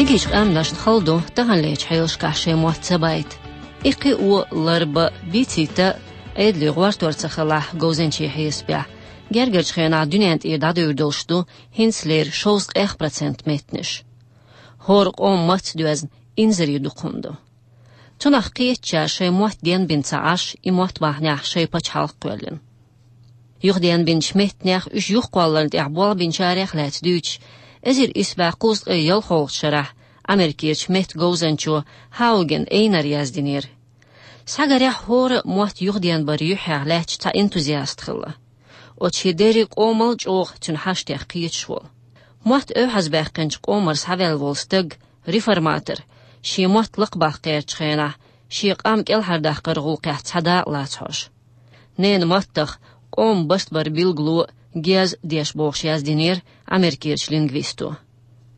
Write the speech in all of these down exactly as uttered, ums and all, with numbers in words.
Кегийчу къаьмнашна хала ду таханлерчу хьелашкахь шайн мотт ца байта. И кхио, ларба, бийцийта Ӏедале гӀортор ца хилахь говзанчийн хьесапехь, гергарчу хенахь дуьнен тӀера дӀадевр долуш ду хӀинцалера шовзткъех процент меттанаш. ХӀора къоман матца доьзна инзаре дукха хӀума ду. Цунах кхетачара шайн мотт денбина ца Ӏаш, и мотт бахьанехь шайн пачхьалкх кхоьллина. Юхаденбинчу меттанех, уьш юхакхолларна тӀехь болх бинчарех лаьцна дуьйцуш, эзар исс бӀе кхузткъе ялхолгӀачу шарахь Америкерчу меттан говзанчо Хауген Эйнара яздинера: «Схьагарехь, хӀора мотт юхаденбаран юьххьехь лаьтташ цхьа энтузиаст хилла. Оцу шен дерриг а къомал чӀогӀа цуьнан хьаштех кхеташ волу. Мотт оьгӀазбаьккхинчу къомара схьаваьлла волу стаг, реформатор, шен мотт лакхабаккха гӀертачу хенахь, шен къам кӀелхьардаккхаран гӀуллакхехь цхьа дакъа лаца хьожу». Ненан маттах къоман бастбаран билгало гез деш бохуш яздинера Америкерчу лингвисто.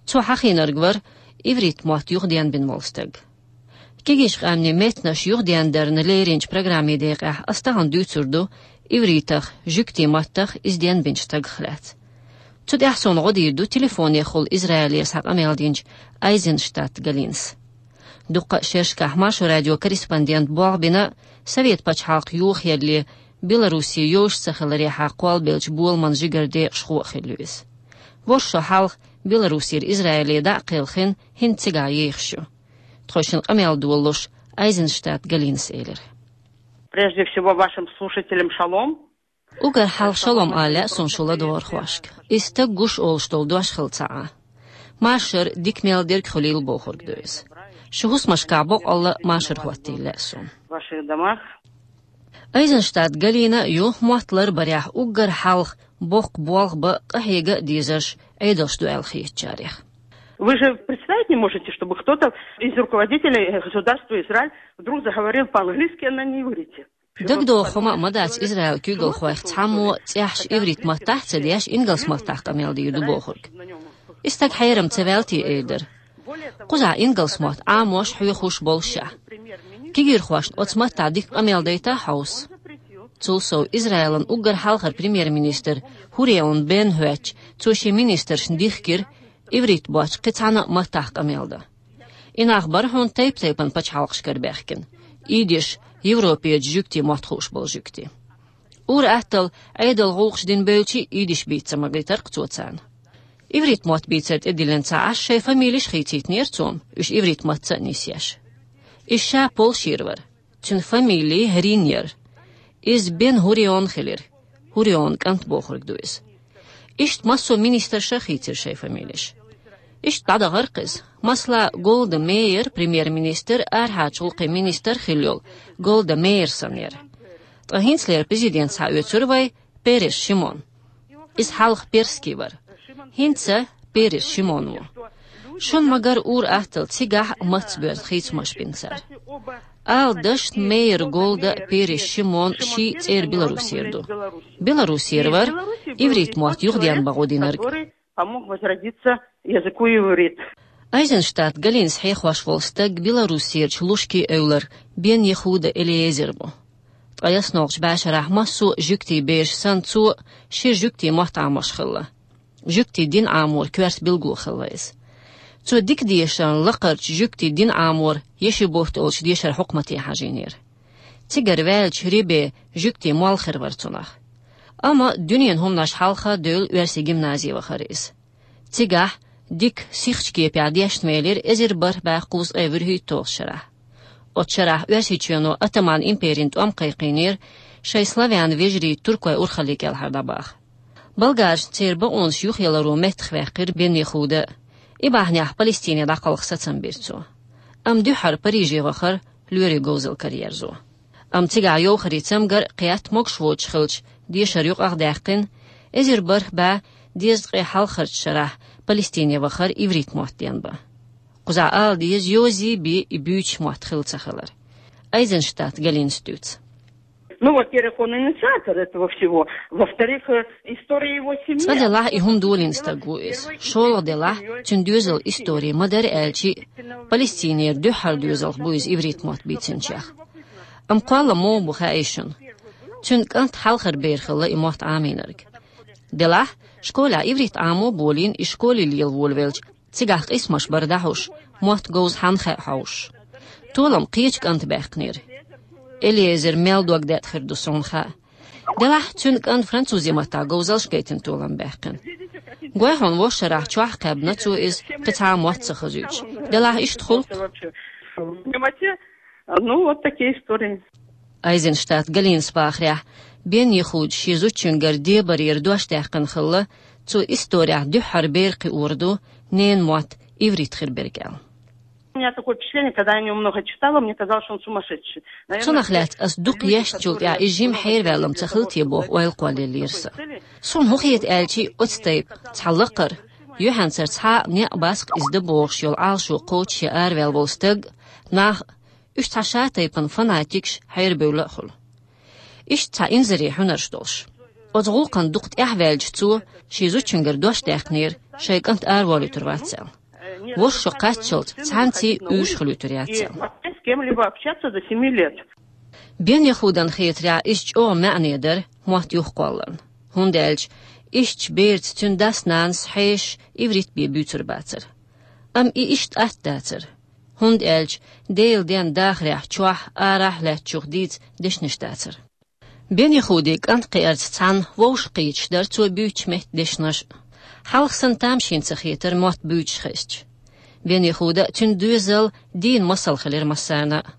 Цо хьахийнарг вара иврит мотт юхаденбина волу стаг. Кегийчу къаьмнийн меттанаш юхадендарна леринчу программин декъехь ас тахана дуьйцур ду ивритах, жуьгтийн маттах иза денбинчу стагах лаьцна. Цу тӀехь суна гӀо дийр ду телефонехула Израилера схьа къамел динчу Айзенштадт Галинас. Дуккха а шерашкахь Маршо радион корреспондент болх бина, Совет пачхьалкх йохаялале, Белоруссия йовзуш ца хиларехьа кхоллабеллачу боламан жигара декъашхо а хилла ю иза. ВорхӀ шо хьалха Белоруссера Израиле дӀа а кхелхина, хӀинца цигахь ехаш ю. Тхойшинна къамел долуш, Айзенштадт Галинас элира: «Прежде всего, вашим слушателям шалом». Уггар хьалха шалом ала лаьа суна шун ладогӀархошка. И стаг гуш олуш долу дош хилла ца Ӏа. Машар дика мел дерг хуьлийла бохург ду иза. Шун хӀусамашкахь боккъалла машар хӀоттийла лаьа суна. Ваших домах. Айзенштадт Галина ю мотт ларбарехь уггар хьалха боккха болх бан, къахьега а дезарш Ӏедалш ду аьлла хетачарех. Вы же представить не можете, чтобы кто-то из руководителей государства Израиль вдруг заговорил по-английски, а на неиврите. ДагадогӀу хӀума а ма дац Израилан куьйгалхойх цхьаммо цӀехьаш иврит маттахь а ца деш, ингалс маттахь къамел дийр ду бохург. И стаг хьерам ца ваьлла те эр дара. Кхузахь ингалс мотт Ӏамош, хьоьхуш боллушехь. Кегийрхошна оцу маттахь дика къамел дайта а хьовса. Цул сов, Израилан уггар хьалхара премьер-министр ХӀуреун Бен хӀоьттича, цо шен министршна дихкира иврит боцчу кхин цхьана а маттахь къамел дан. И нах бара хьуна тайп-тайпана пачхьалкхашкара баьхкина: идиш, Европерчу жуьгтийн мотт хууш болу жуьгтий. Ур-атталла Ӏедалан гӀуллакхаш дина бевлча а, идиш бийца ца магийтар-кх цо царна. Иврит мотт бийцар тӀедиллина ца Ӏаш, шайн фамилеш а хийцийтинера цо, уьш иврит матца а нисъеш. Иза ша Польшера вара. Цуьнан фамили Рин яра. Иза Бен ХӀуреун хилира. ХӀуреун кӀант бохург ду иза. Иштта массо а министрша а хийцира шайн фамилеш. Иштта дӀадахара-кх иза. Масала, Голда Меир, премьер-министр, арахьарчу гӀуллакхийн министр хилла йолу Голда Меир санна яра. Ткъа хӀинцалера президент схьаоьцура вай Перес Шимон. Иза хьалха Перский вара. ХӀинца Перес Шимон ву. Шуна ма-гарра, ур-атталла цигахь а матца боьзна хийцамаш бина цара. Ала дашна, Меир Голда а, Перес Шимон ший цӀера Белоруссера ду. Белоруссера вара иврит мотт юхаденбан гӀо динарг. Помог возродиться языку иврит. Айзенштадт Галинас хьехош волу стаг Белоруссерчу Лушки-Эвлара Бен Яхуда Элиэзер ву. Ткъе ялхалгӀачу бӀешарахь массо а жуьгтийн бераш санна, цо шира жуьгтийн мотт Ӏамош хилла. Жуьгтийн дин Ӏаморан коьрта билгало хилла иза. Цо дика дешарна лакхарчу жуьгтийн дин Ӏаморан ешивот олучу дешаран хьукмате хьажийнера. Цигара ваьллачу Рибе жуьгтийн молла хир вара цунах. Амма дуьненан хӀуманаш хьалха девлла оьрсийн гимназе вахара иза. Цигахь дика сихачу кепехь дешна велира эзар бархӀ бӀе кхузткъе вуьрхӀитталгӀачу шарахь. Оцу шарахь Оьрсийчоьно Оттоман империн тӀом кхайкхийнера шайн славян вежарий туркойн урхалле кӀелхьардӀабаха. Болгаршна церан бакъонаш юхаяларо меттахваьккхира Бен Яхуда. И бахьанехь Палестине дӀакхалха сацам бира цо. Амма дуьххьара Париже вахара лоьрийн говзалла караерзо. Амма цигахь йовхарийн цамгар а кхетта, могуш воцуш хилча, дешар юкъахдаьккхина, эзар бархӀ бӀе дезткъе хьалхарчу шарахь Палестине вахара иврит мотт денбан. Кхузахь ала деза, йозий бен и буьйцуш мотт хилла ца хилар. Айзенштадт Галинас дуьйцу. Ну, во-первых, он инициатор этого всего. Во-вторых, э, история его семьи. Цкъа делахь, и хӀума долийна стаг ву иза. ШолгӀа делахь, цуьнан доьзалан истори ма-дарра аьлча, Палестинера дуьххьара доьзалх бу иза иврит мотт бийцинчех. Амма кхоллам муха бу хаьий шуна? Цуьнан кӀант хьалхара бер хилла и мотт Ӏамийнарг. Делахь, школехь иврит Ӏамо а болийна, и школе лела волавелча, Цигахь къийсамаш бара дӀахьуш, мотт говза хьанна хаьа хьовсуш. Толам кхечу кӀанта баьккхинера. Элиэзер мел дог деттахир ду суна хаьа. Делахь цуьнан кӀанта французи маттахь говзалш гайтина толам баьккхина. Гой хьуна, вовшахтарахь чохь кхаьбна цо иза, кхин цхьа а мотт ца хазуьйтуш. Делахь иштта хуьлу-кх. Ну, вот такие истории. Айзенштадт Галинас бахарехь, Бен Яхудас шен зудчуьнгара дебарера дош даьккхина хилла, цо исторехь дуьххьара бер кхиор ду ненан мотт иврит хир берг аьлла. У меня такое впечатление, когда я о нём много читала, мне казалось, что он сумасшедший. Наверное, цунах лаьцна ас дукха естначул тӀаьхьа иза жима хьерваьлла-м ца хилла те боху ойла кхоллаеллера сан. Суна хӀун хета аьлча, оцу тайпа цхьа лакхара, юьхьанцара цхьа а некъ бац-кх иза дан бохуш йолу Ӏалашо кхочуш я араваьлла волу стаг, нах, уьш цхьа ша тайпана фанатикаш хьерабевлла а хуьлу. Иштта цхьа инзаре хьуьнарш долуш. Оцу гӀуллакхана дукха тӀаьхьаваьлча цо шен зудчуьнгара дош даьккхинера, шайн кӀант араволуьйтур вац аьлла. ВорхӀ шо кхаччалц цхьаьнций уьйраш хуьлуьйтур яц аьлла. С кем-либо общаться до семи лет. Бен Яхудан хетарехь, иза чӀогӀа маьӀне дара мотт юхакхолларна, хӀунда аьлча иштта берца цуьнан дас-нанас хьешаш иврит бен буьйцур бацара. Амма и иштта атта дацара, хӀунда аьлча Делан денна дахарехь чохь, арахь а лаьттачух дийца дешнаш дацара. Бен Яхудин кӀант кхиарца цхьаьна вовшах кхеташ дара цо буьйцучу меттан дешнаш а. Хьалха санна тамашийна ца хетара мотт буьйцуш хезча. Бен Яхуда а, цуьнан доьзал а дийна масал хилира массарна а.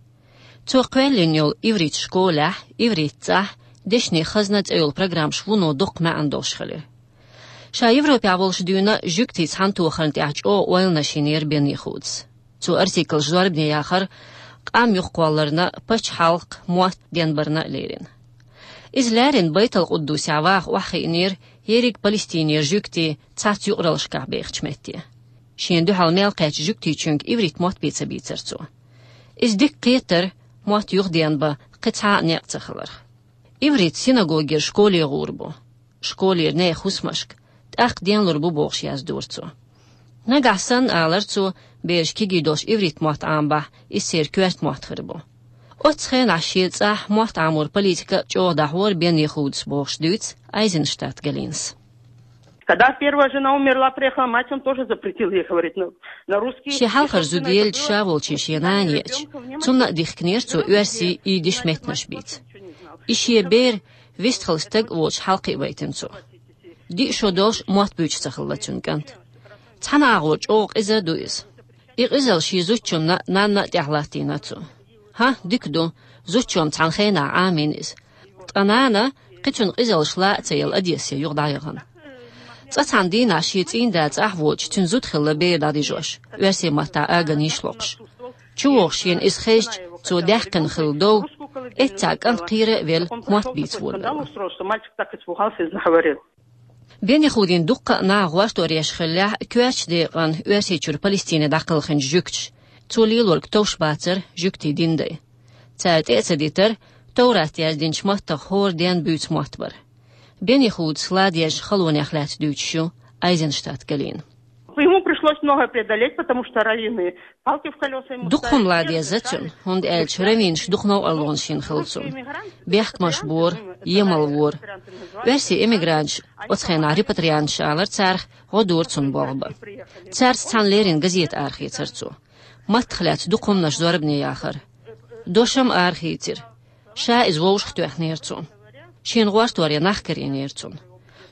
Цо кхоьллина йолу иврит школехь, иврит цӀахь, дешнийн хазна цӀе йолу программаш вуно доккха маьӀна долуш хилира. Ша Европехь волуш дуьйна жуьгтий цхьаьнатохарна тӀехь чӀогӀа ойланаш йинера Бен Яхудас. Цо артиклаш зорбане яхара, къам юхакхолларна, пачхьалкх, мотт денбарна а лерина. Иза леррина Байтал-Къуддусехь ваха охьахиънера ерриг Палестинера жуьгтий цхьацца юкъараллашкахь бехачу метте. Шена дуьхьал мел кхаьччу жуьгтичуьнга иврит мотт бен ца бийцара цо. Иза дика кхетара мотт юхаденбан кхин цхьа а некъ ца хиларх. Иврит синагогера школе гӀур бу. Школера нехан хӀусамашка, тӀаккха денлур бу бохуш яздора цо. Нагахь санна, алара цо, бераш кегий долуш иврит мотт Ӏамабахь, иза церан коьрта мотт хир бу. Оццу хенахь шен цӀахь мотт Ӏаморан политика чӀогӀа дӀахьора Бен Яхудас бохуш дуьйцу Айзенштадт Галинас. Когда первая жена умерла, приехала мать, он тоже запретил ей говорить на, на русский. Шен хьалхара зуда елча, ша волчу шен нана еача, цунна а дихкинера цо оьрсийн, идиш меттанаш бийца. И шен бер вистхила стаг а волчу хьалакхиавайтина цо. Диъ шо долуш мотт буьйцуш ца хилла цуьнан кӀант. Цхьана агӀор чӀогӀа къиза а ду иза. И къизалла шен зудчунна а, нанна а тӀехь латтийна цо. ХӀан, дика ду, зудчо-м цхьана хенахь Ӏамийна иза. Ткъа нана, кхин цуьнан къизаллаш ла а ца елла, Одессе юха дӀаяхана. Цкъа цхьана дийнахь шен цӀийнда цӀахь воцуш, цуьнан зуда хилла бер дӀадижош, оьрсийн маттахь аган йиш локхуш. ЧувогӀуш шена иза хезча, цо даьккхина хилла дов, эццахь кӀант кхера а велла, мотт бийца волавелла. Что мальчик так испугался и заговорил. Бен Яхудин дуккха а наха гӀортор еш хиллехь, коьртачу декъана Оьрсийчуьра Палестине дӀакхелхинчу жуьгташа, цо лелорг товш бацара жуьгтийн динан дай. Цара тӀе а ца дитара, Товрат яздинчу маттах хӀора ден буьйцу мотт бара. Бен Яхудас ладоьжначу халонех лаьцна дуьйцуш ю Айзенштадт Галина. Ему пришлось многое преодолеть, потому что раввины палки в колёса ему ставили. Дукха хӀума ладоьгӀна цуьнан, хӀунда аьлча раввинаш дукха новкъарлонаш йина хилла цунна. Бехкамаш бора, емал вора. Оьрсийн эмигранташ, оцу хенахь репатрианташ алара царах, гӀо дора цунна болх бан. Цаьрца цхьаьна леррина газета арахецара цо. Маттах лаьцна дукха хӀуманаш зорбане яхара. Дош-м арахийцира. Ша иза вовшахтоьхнера цунна. Шена гӀортор ян нах карийнера цунна.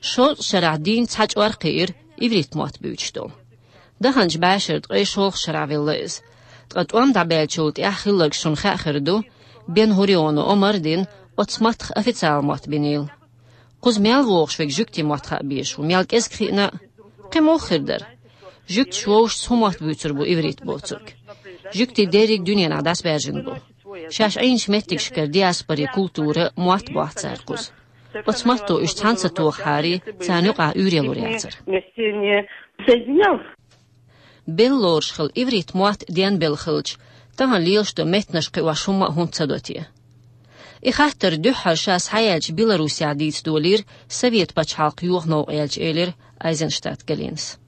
Шовзткъа шарахь дийнна цхьа чкъор кхиира иврит мотт буьйцуш долу. Даханчу бӀешеран ткъе шолгӀачу шарахь велла иза. Ткъа тӀом дӀабаьллачул тӀаьхьа хилларг шуна хаьа хир ду, Бен-Гурионо омра дина, оцу маттах официала мотт бинийла. Кхуза мел вогӀуш верг жуьгтийн мотт хаа безаш ву, мел кӀезиг хиъна а. Кхин муха хир дара? Жуьгташа вовшашца хӀун мотт буьйцур бу иврит боцург? Жуьгтий дерриг дуьненахь дӀасабаьржина бу. Шаьш Ӏийначу меттигашкара диаспорин культура, мотт боху цара кхуза. Оцу матто уьш цхьаьна ца тохахьара, царна юкъахь уьйр ялур яцара. Белла лоруш хилла иврит мотт денбелла хилча, тахана лелаш долу меттанаш кхиош хӀумма а хӀунда ца до те? И хаттар дуьххьара ша схьаяьллачу Беларусехь дийца долийра Совет пачхьалкх йоху новкъа яьлча, элира Айзенштадт Галинас.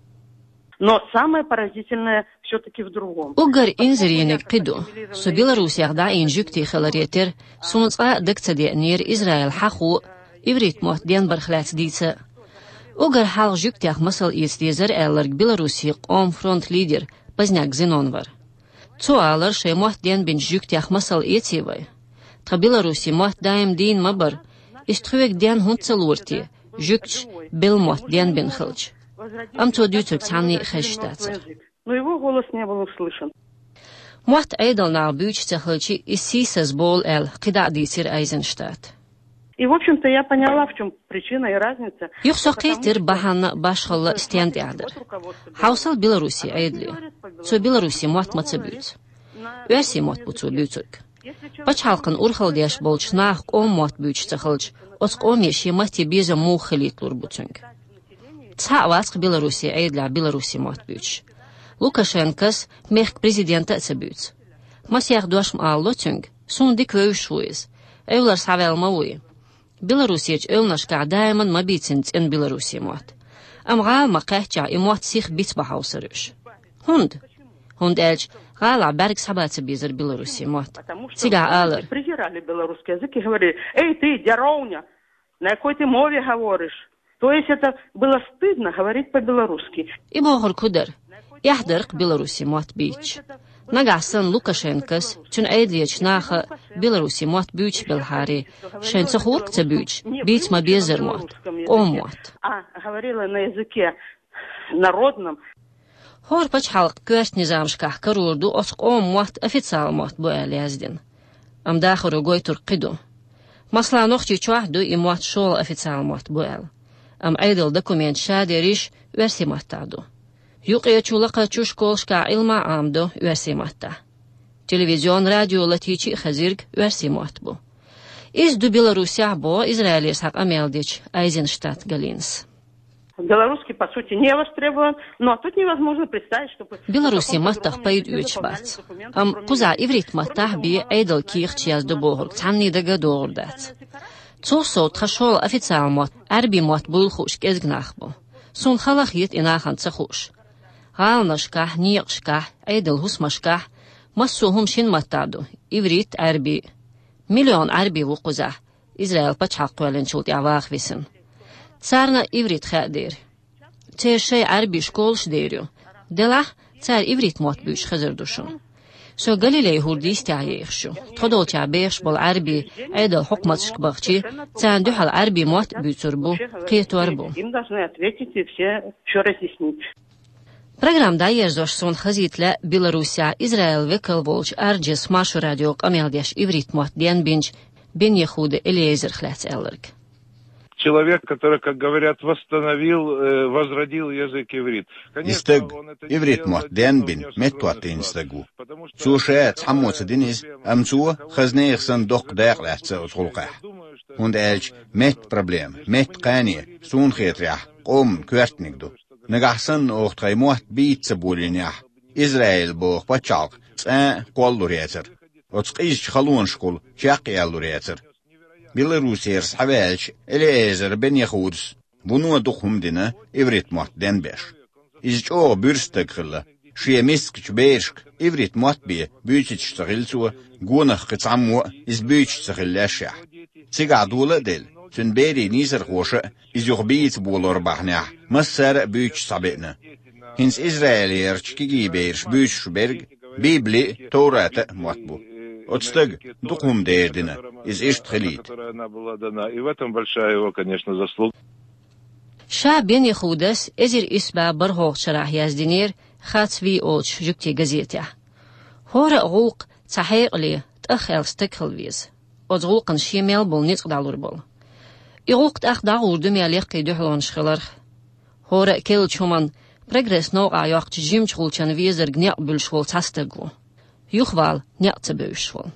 Но самое поразительное всё-таки в другом. Уггар инзарениг кхин ду. Со Беларусех дӀаийна жуьгти хиларе терра, суна цкъа а дага ца деанера Израиль хьахо а, иврит мотт денбарх лаьцна дийца а. Уггар хьалха жуьгтех масал эца дезар аьлларг Беларусин къоман фронтан лидер Поздняк Зенон вар. Цо алар, шайн мотт денбинчу жуьгтех масал эций вай? Тхан Беларусин мотт даим дийна ма бара. Иза тхоьга денна хӀунда ца лора те, жуьгташа белла мотт денбина хилча? Амма цо дуьйцург цхьанне а хезаш дацара. Но его голос не был услышан. Мотт Ӏедалан наха буьйцуш ца хилча, иза сийсазбовла аьлла, кхидӀа а дийцира Айзенштадта. И, в общем-то, я поняла, в чём причина и разница. Юха со кхийтира бахьана а, башхалла а стенна тӀехь дара. Хьовсал Беларусин Ӏедале. Цо Беларусин мотт ма ца буьйцу. Оьрсийн мотт бу цо буьйцург. Пачхьалкхана урхалла деш болчу наха къоман мотт буьйцуш ца хилча, оцу къоме шен матте безам муха хилийта лур бу цуьнга? Цхьаъ вац-кх Беларусин Ӏедалехь беларусийн мотт буьйцуш. Лукашенкос мехкан президента а ца буьйцу. Масех дош ма алало цуьнга, суна дика вевзаш ву иза. Эвлара схьаваьлла ма вуй. Беларусерчу эвланашкахь даиман ма бийцина цӀена беларусийн мотт. Амма гӀала ма кхаьччехь и мотт сиха бицбан хьовсур уьш. ХӀунда? ХӀунда аьлча гӀалахь бӀаьрг схьабан ца безара беларусийн мотт. Цигахь алара: Презирали белорусский язык и говорили: «Эй, ты, дяровня, на какой ты мове говоришь?» То есть это было стыдно говорить по-белорусски. И бохург хӀун дара? Эхь дара-кх беларусийн мотт бийцича. Нагахь санна Лукашенкос, цуьнан Ӏедалерчу наха беларусийн мотт буьйцуш белхьара, шайна ца хуур-кх ца буьйцуш, бийца ма безара мотт, къоман мотт. А говорила на языке народном. ХӀора пачхьалкх коьрта низамашкахь карор ду оцу къоман мотт официалан мотт бу аьлла яздина. Амма дахаро гойтург кхин ду. Масала, Нохчийчохь а ду и мотт шолгӀа официалан мотт бу аьлла. Амма Ӏедалан документаш ша дерриш оьрсийн маттахь ду. Юккъерчу, лакхарчу школашкахь Ӏилма а Ӏамадо оьрсийн маттахь. Телевизион, радио латийча а хезирг оьрсийн мотт бу. Иза ду Беларусехь а, боху Израилера схьа къамел дечу Айзенштадт Галинас. Белорусский, по сути, не востребован, но тут невозможно представить, чтобы... Беларусийн маттах пайда оьцуш бац. Амма кхузахь иврит маттахь бен Ӏедалан кехаташ яздо бохург цхьанне дага а догӀур дац. Цул сов, тхан шолгӀа официалан мотт Ӏаьрбийн мотт буйла хууш кӀезиг нах бу. Суна хала хета и нахана ца хууш. ГӀаланашкахь, некъашкахь, Ӏедалан хӀусамашкахь массо а хӀума шина маттахь ду, иврит а, Ӏаьрби а. Миллион Ӏаьрби ву кхузахь, Израил пачхьалкх кхоьллинчул тӀаьхьа ваха висина. Царна а иврит хаьа дера. Церан шайн Ӏаьрбийн школаш а дер ю. Делахь, цара иврит мотт буьйцуш хезар ду шуна. Со Галилей-хӀордан йистехь ехаш ю. Тхо долчохь бехаш болу Ӏаьрбий Ӏедалан хьукматашка бахча, царна дуьхьал Ӏаьрбийн мотт а буьйцур бу, кхетор а бу. Им должны ответить и все, всё разъяснить. Программа дӀаерзош суна хазийта лаьа Беларусехь Израилан векал волчу Арджис Маршо радион къамел деш иврит мотт денбинчу Бен-Яхуда Элиэзерах лаьцна аьлларг. Человек, который, как говорят, восстановил, э, возродил язык иврит. И стаг, иврит мотт денбина, меттахӀоттийна стаг ву. Цо ша цхьаммо ца дина иза, амма цо, хаза нехан санна, доккха дакъа лаьцна оцу гӀуллакхехь. ХӀунда аьлча меттан проблема, меттан кхане, суна хетарехь, къоман коьртаниг ду. Нагахь санна оха тхайн мотт бийца ца болийнехь, Израиль боху пачхьалкх цкъа а кхоллалур яцара. Оцу къизачу халонашкахула чекхъялалур яцара. Беларусера схьаваьлча, Элиэзер Бен-Яхудас вуно дукха хӀума дина иврит мотт денбеш. Иза чӀогӀа буьрса стаг хилла. Шен мискачу берашка иврит мотт бен буьйцуьйтуш ца хилла цо, гонах кхин цхьаммо а иза буьйцуш ца хилла лаьшшехь. Цигахь дола а делла, цуьнан берийн нийсархоша а иза юха бийца болор бахьанехь, массара а буьйцуш схьабеана. ХӀинца Израилерчу кегий бераша буьйцуш берг Библи а, Товрата а мотт бу. Оцу стага дукха хӀума дер дина, иза иштта хилийта. И в этом большая его, конечно, заслуга. Ша Бен-Яхудас эзар исс бӀе бархӀалгӀачу шарахь яздинера «Хацвий» олучу жуьгтийн газетехь. ХӀора а гӀуллакх цхьа хьекъале, тӀах аьлла стаг хила веза. Оцу гӀуллакхана шен мел болу ницкъ дӀалур болу. И гӀуллакх тӀаккха дӀагӀур ду мел яккхий дуьхьалонаш хиларх. ХӀора а керлачу хӀуманна, прогресс новкъахь йоккхучу жимачу гӀулчанна везарг некъ буьллуш волу цхьа стаг ву. Юхавала некъ ца бевзаш волу.